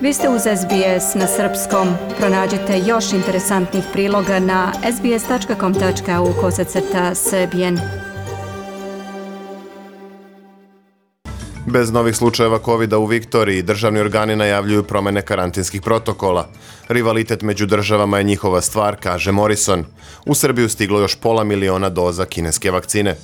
Vi ste uz SBS na srpskom. Pronađite još interesantnih priloga na sbs.com.au/srbijen. Bez novih slučajeva COVID-a u Viktoriji, državni organi najavljuju promjene karantinskih protokola. Rivalitet među državama je njihova stvar, kaže Morrison. U Srbiju stiglo još 500.000 doza kineske vakcine.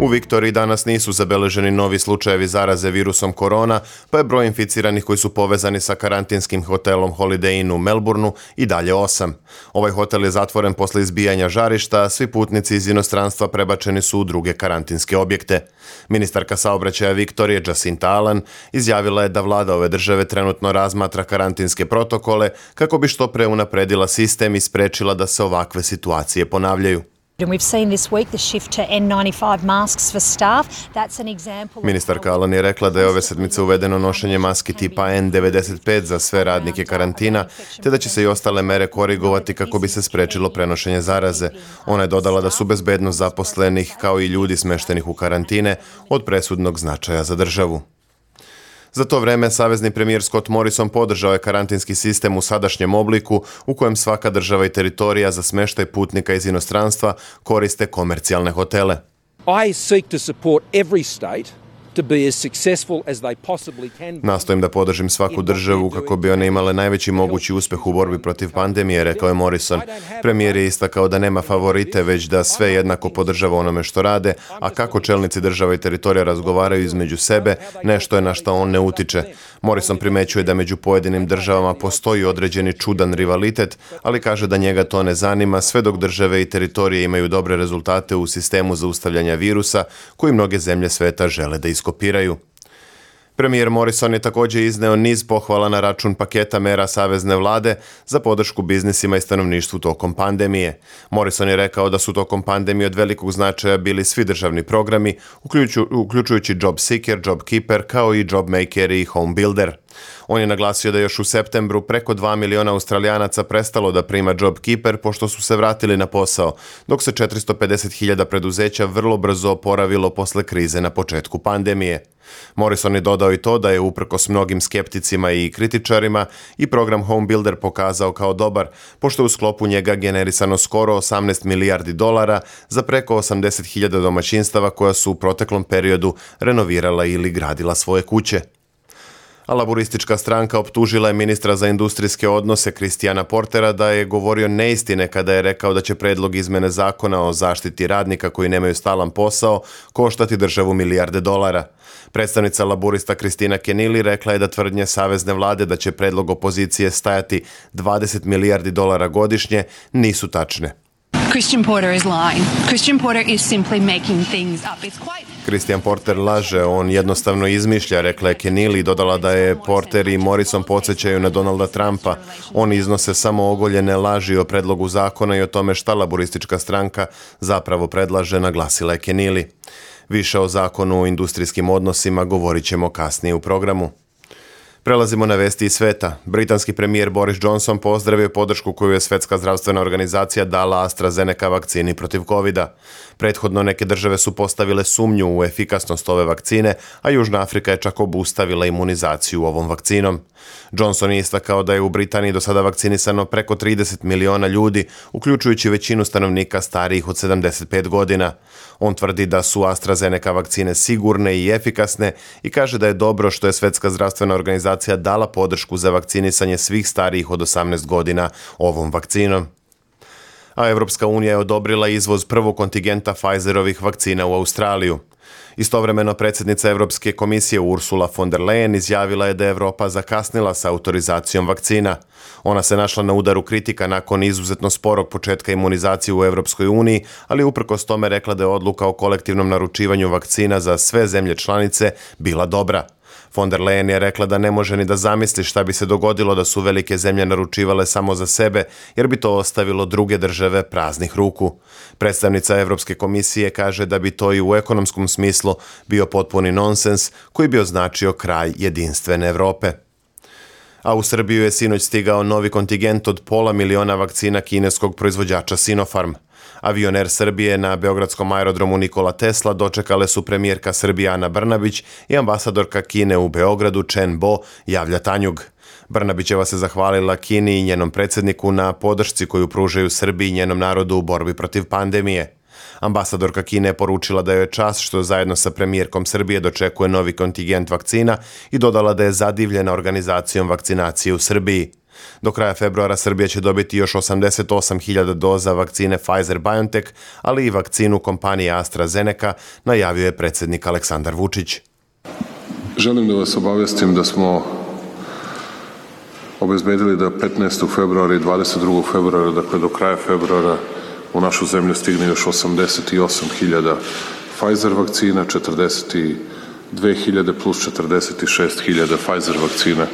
U Viktoriji danas nisu zabeleženi novi slučajevi zaraze virusom korona, pa je broj inficiranih koji su povezani sa karantinskim hotelom Holiday Inn u Melbourneu i dalje 8. Ovaj hotel je zatvoren posle izbijanja žarišta, a svi putnici iz inostranstva prebačeni su u druge karantinske objekte. Ministarka saobraćaja Viktorije Jacinta Allen izjavila je da vlada ove države trenutno razmatra karantinske protokole kako bi što pre unapredila sistem i sprečila da se ovakve situacije ponavljaju. Ministarka Allen je rekla da je ove sedmice uvedeno nošenje maski tipa N95 za sve radnike karantina, te da će se i ostale mere korigovati kako bi se sprečilo prenošenje zaraze. Ona je dodala da su bezbednost zaposlenih kao i ljudi smeštenih u karantine od presudnog značaja za državu. Za to vreme, savezni premijer Scott Morrison podržao je karantinski sistem u sadašnjem obliku u kojem svaka država i teritorija za smještaj putnika iz inostranstva koriste komercijalne hotele. I seek to support every state to be as successful as they possibly can. Nastojim da podržim svaku državu kako bi one imale najveći mogući uspjeh u borbi protiv pandemije, rekao je Morrison. Premijer je istakao da nema favorite, već da sve jednako podržava onome što rade, a kako čelnici država i teritorija razgovaraju između sebe, nešto je na što on ne utiče. Morrison primećuje da među pojedinim državama postoji određeni čudan rivalitet, ali kaže da njega to ne zanima sve dok države i teritorije imaju dobre rezultate u sistemu zaustavljanja virusa koji mnoge zemlje sveta žele da iskopiraju. Premijer Morrison je također izneo niz pohvala na račun paketa mera savezne vlade za podršku biznisima i stanovništvu tokom pandemije. Morrison je rekao da su tokom pandemije od velikog značaja bili svi državni programi, uključujući Job Seeker, Job Keeper, kao i Job Maker i Home Builder. On je naglasio da je još u septembru preko 2 miliona Australijanaca prestalo da prima Job Keeper pošto su se vratili na posao, dok se 450.000 preduzeća vrlo brzo oporavilo posle krize na početku pandemije. Morrison je dodao i to da je uprkos mnogim skepticima i kritičarima i program Home Builder pokazao kao dobar, pošto je u sklopu njega generisano skoro 18 milijardi dolara za preko 80.000 domaćinstava koja su u proteklom periodu renovirala ili gradila svoje kuće. A laburistička stranka optužila je ministra za industrijske odnose Christiana Portera da je govorio neistine kada je rekao da će predlog izmene zakona o zaštiti radnika koji nemaju stalan posao koštati državu milijarde dolara. Predstavnica laburista Kristina Kenili rekla je da tvrdnje savezne vlade da će predlog opozicije stajati 20 milijardi dolara godišnje nisu tačne. Christian Porter is lying. Christian Porter is simply making things up. It's quite... Christian Porter laže, on jednostavno izmišlja, rekla je Kenili i dodala da je Porter i Morrison podsjećaju na Donalda Trumpa. Oni iznose samo ogoljene laži o predlogu zakona i o tome šta laburistička stranka zapravo predlaže, naglasila je Kenili. Više o zakonu o industrijskim odnosima govorit ćemo kasnije u programu. Prelazimo na vesti iz sveta. Britanski premijer Boris Johnson pozdravio podršku koju je Svjetska zdravstvena organizacija dala AstraZeneca vakcini protiv COVID-a. Prethodno neke države su postavile sumnju u efikasnost ove vakcine, a Južna Afrika je čak obustavila imunizaciju ovom vakcinom. Johnson je istakao da je u Britaniji do sada vakcinisano preko 30 miliona ljudi, uključujući većinu stanovnika starijih od 75 godina. On tvrdi da su AstraZeneca vakcine sigurne i efikasne i kaže da je dobro što je Svjetska zdravstvena organizacija dala podršku za vakcinisanje svih starijih od 18 godina ovom vakcinom. A Evropska unija je odobrila izvoz prvog kontingenta Pfizerovih vakcina u Australiju. Istovremeno predsjednica Europske komisije Ursula von der Leyen izjavila je da je Europa zakasnila sa autorizacijom vakcina. Ona se našla na udaru kritika nakon izuzetno sporog početka imunizacije u Europskoj uniji, ali uprkos tome rekla da je odluka o kolektivnom naručivanju vakcina za sve zemlje članice bila dobra. Von der Leyen je rekla da ne može ni da zamisli šta bi se dogodilo da su velike zemlje naručivale samo za sebe, jer bi to ostavilo druge države praznih ruku. Predstavnica Europske komisije kaže da bi to i u ekonomskom smislu bio potpuni nonsens koji bi označio kraj jedinstvene Europe. A u Srbiju je sinoć stigao novi kontingent od 500.000 vakcina kineskog proizvođača Sinopharm. Avion Air Srbije na beogradskom aerodromu Nikola Tesla dočekale su premijerka Srbije Ana Brnabić i ambasadorka Kine u Beogradu Chen Bo, javlja Tanjug. Brnabićeva se zahvalila Kini i njenom predsjedniku na podršci koju pružaju Srbiji i njenom narodu u borbi protiv pandemije. Ambasadorka Kine je poručila da joj je čast što zajedno sa premijerkom Srbije dočekuje novi kontingent vakcina i dodala da je zadivljena organizacijom vakcinacije u Srbiji. Do kraja februara Srbija će dobiti još 88.000 doza vakcine Pfizer-BioNTech, ali i vakcinu kompanije AstraZeneca, najavio je predsjednik Aleksandar Vučić. Želim da vas obavestim da smo obezbedili da 15. februara i 22. februara, dakle do kraja februara, u našu zemlju stigne još 88.000 Pfizer vakcina, 42.000 plus 46.000 Pfizer vakcina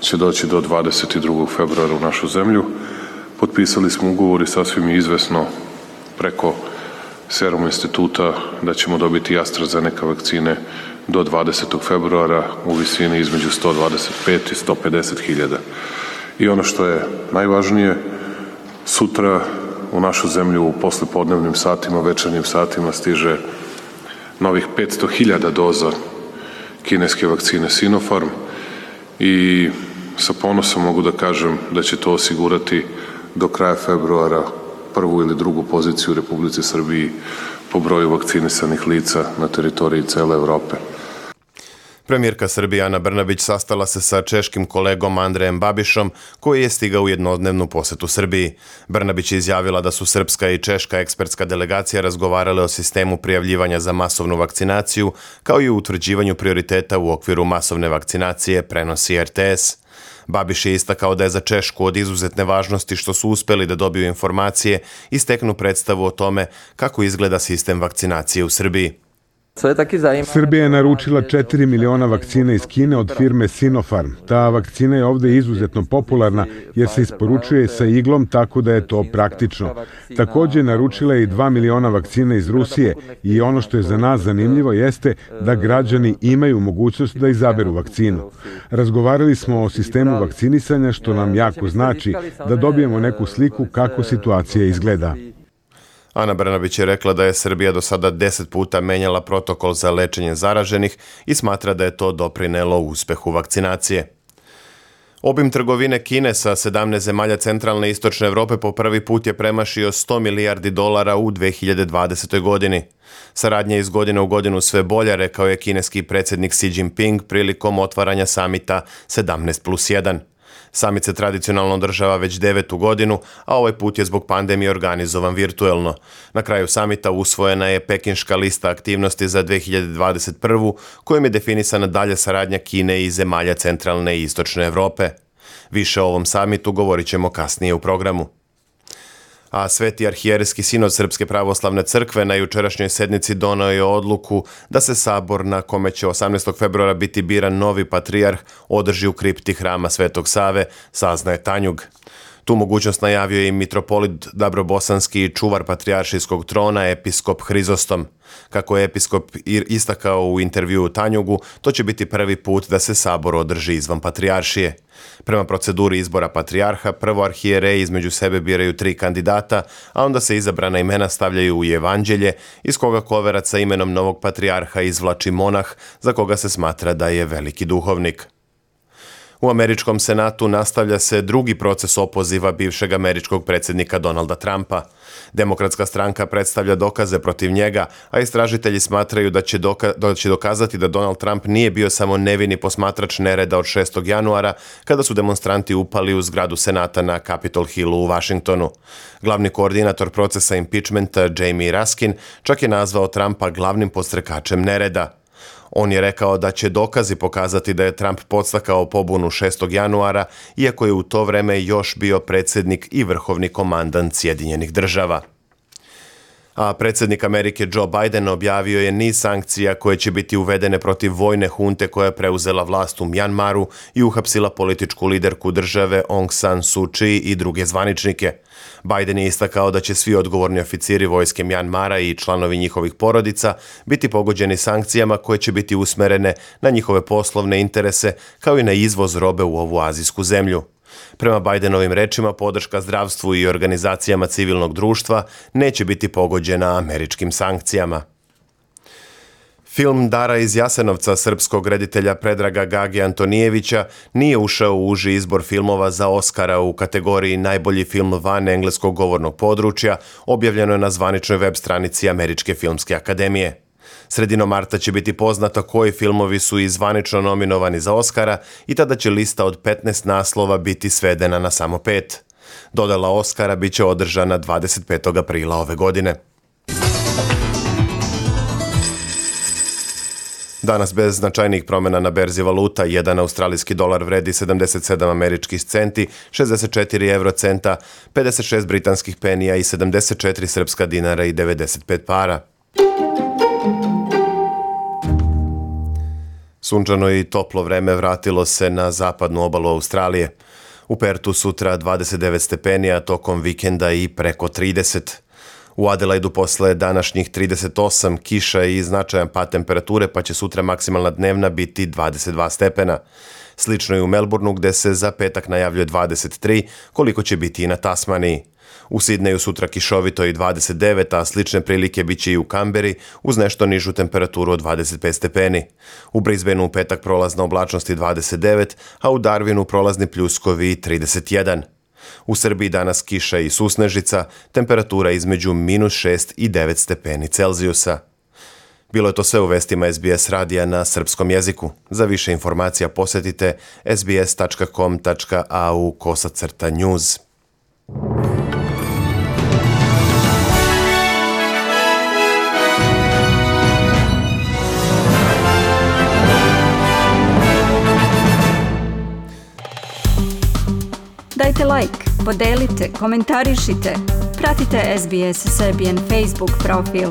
će doći do 22. februara u našu zemlju. Potpisali smo ugovor i sasvim je izvesno preko Serum instituta da ćemo dobiti AstraZeneca vakcine do 20. februara u visini između 125 i 150.000. I ono što je najvažnije, sutra u našu zemlju u poslepodnevnim satima, večernjim satima stiže novih 500.000 doza kineske vakcine Sinopharm i sa ponosom mogu da kažem da će to osigurati do kraja februara prvu ili drugu poziciju u Republici Srbiji po broju vakcinisanih lica na teritoriji cele Evrope. Premijerka Srbije Ana Brnabić sastala se sa češkim kolegom Andrejem Babišom, koji je stigao u jednodnevnu posetu Srbiji. Brnabić je izjavila da su srpska i češka ekspertska delegacija razgovarale o sistemu prijavljivanja za masovnu vakcinaciju, kao i o utvrđivanju prioriteta u okviru masovne vakcinacije, prenosi RTS. Babiš je istakao da je za Češku od izuzetne važnosti što su uspeli da dobiju informacije i steknu predstavu o tome kako izgleda sistem vakcinacije u Srbiji. Srbija je naručila 4 miliona vakcina iz Kine od firme Sinopharm. Ta vakcina je ovde izuzetno popularna jer se isporučuje sa iglom, tako da je to praktično. Takođe naručila je i 2 miliona vakcina iz Rusije i ono što je za nas zanimljivo jeste da građani imaju mogućnost da izaberu vakcinu. Razgovarali smo o sistemu vakcinisanja, što nam jako znači da dobijemo neku sliku kako situacija izgleda. Ana Brnabić je rekla da je Srbija do sada 10 puta menjala protokol za lečenje zaraženih i smatra da je to doprinelo uspehu vakcinacije. Obim trgovine Kine sa 17 zemalja centralne i istočne Evrope po prvi put je premašio $100 milijardi u 2020. godini. Saradnja iz godine u godinu sve bolja, rekao je kineski predsjednik Xi Jinping prilikom otvaranja samita 17+1. Samit se tradicionalno održava već 9. godinu, a ovaj put je zbog pandemije organizovan virtuelno. Na kraju samita usvojena je pekinška lista aktivnosti za 2021. kojom je definisana dalja saradnja Kine i zemalja centralne i istočne Evrope. Više o ovom samitu govorit ćemo kasnije u programu. A Sveti arhijerejski sinod Srpske pravoslavne crkve na jučerašnjoj sednici doneo je odluku da se sabor na kome će 18. februara biti biran novi patrijarh održi u kripti hrama Svetog Save, saznaje Tanjug. Tu mogućnost najavio je i mitropolit Dabrobosanski i čuvar patrijaršijskog trona, episkop Hrizostom. Kako je episkop istakao u intervjuu Tanjugu, to će biti prvi put da se sabor održi izvan patrijaršije. Prema proceduri izbora patrijarha, prvo arhijereji između sebe biraju 3 kandidata, a onda se izabrana imena stavljaju u evanđelje, iz koga koverac sa imenom novog patrijarha izvlači monah, za koga se smatra da je veliki duhovnik. U američkom senatu nastavlja se drugi proces opoziva bivšeg američkog predsjednika Donalda Trumpa. Demokratska stranka predstavlja dokaze protiv njega, a istražitelji smatraju da će dokazati da Donald Trump nije bio samo nevini posmatrač nereda od 6. januara, kada su demonstranti upali u zgradu senata na Capitol Hillu u Vašingtonu. Glavni koordinator procesa impeachmenta Jamie Raskin čak je nazvao Trumpa glavnim podstrekačem nereda. On je rekao da će dokazi pokazati da je Trump podstakao pobunu 6. januara, iako je u to vreme još bio predsjednik i vrhovni komandant Sjedinjenih država. A predsjednik Amerike Joe Biden objavio je niz sankcija koje će biti uvedene protiv vojne hunte koja je preuzela vlast u Mjanmaru i uhapsila političku liderku države Aung San Suu Kyi i druge zvaničnike. Biden je istakao da će svi odgovorni oficiri vojske Mjanmara i članovi njihovih porodica biti pogođeni sankcijama koje će biti usmerene na njihove poslovne interese kao i na izvoz robe u ovu azijsku zemlju. Prema Bidenovim rečima, podrška zdravstvu i organizacijama civilnog društva neće biti pogođena američkim sankcijama. Film Dara iz Jasenovca srpskog reditelja Predraga Gage Antonijevića nije ušao u uži izbor filmova za Oscara u kategoriji najbolji film van engleskog govornog područja, objavljeno je na zvaničnoj web stranici Američke filmske akademije. Sredinom marta će biti poznato koji filmovi su i zvanično nominovani za Oscara i tada će lista od 15 naslova biti svedena na samo 5. Dodjela Oscara bit će održana 25. aprila ove godine. Danas bez značajnih promjena na berzi valuta, jedan australijski dolar vredi 77 američkih centi, 64 eurocenta, 56 britanskih penija i 74 srpska dinara i 95 para. Sunčano i toplo vreme vratilo se na zapadnu obalu Australije. U Pertu sutra 29 stepeni, a tokom vikenda i preko 30. U Adelaidu posle današnjih 38 kiša i značajan pad temperature, pa će sutra maksimalna dnevna biti 22 stepena. Slično je u Melbourneu gde se za petak najavljuje 23, koliko će biti i na Tasmaniji. U Sidneju sutra kišovito i 29, a slične prilike bit će i u Kamberi uz nešto nižu temperaturu od 25 stepeni. U Brisbaneu u petak prolazna oblačnost i 29, a u Darwinu prolazni pljuskovi i 31. U Srbiji danas kiša i susnežica, temperatura između -6 i 9 stepeni Celzijusa. Bilo je to sve u vestima SBS radija na srpskom jeziku. Za više informacija posjetite sbs.com.au/news. Dajte like, podelite, komentarišite, pratite SBS Serbian Facebook profil.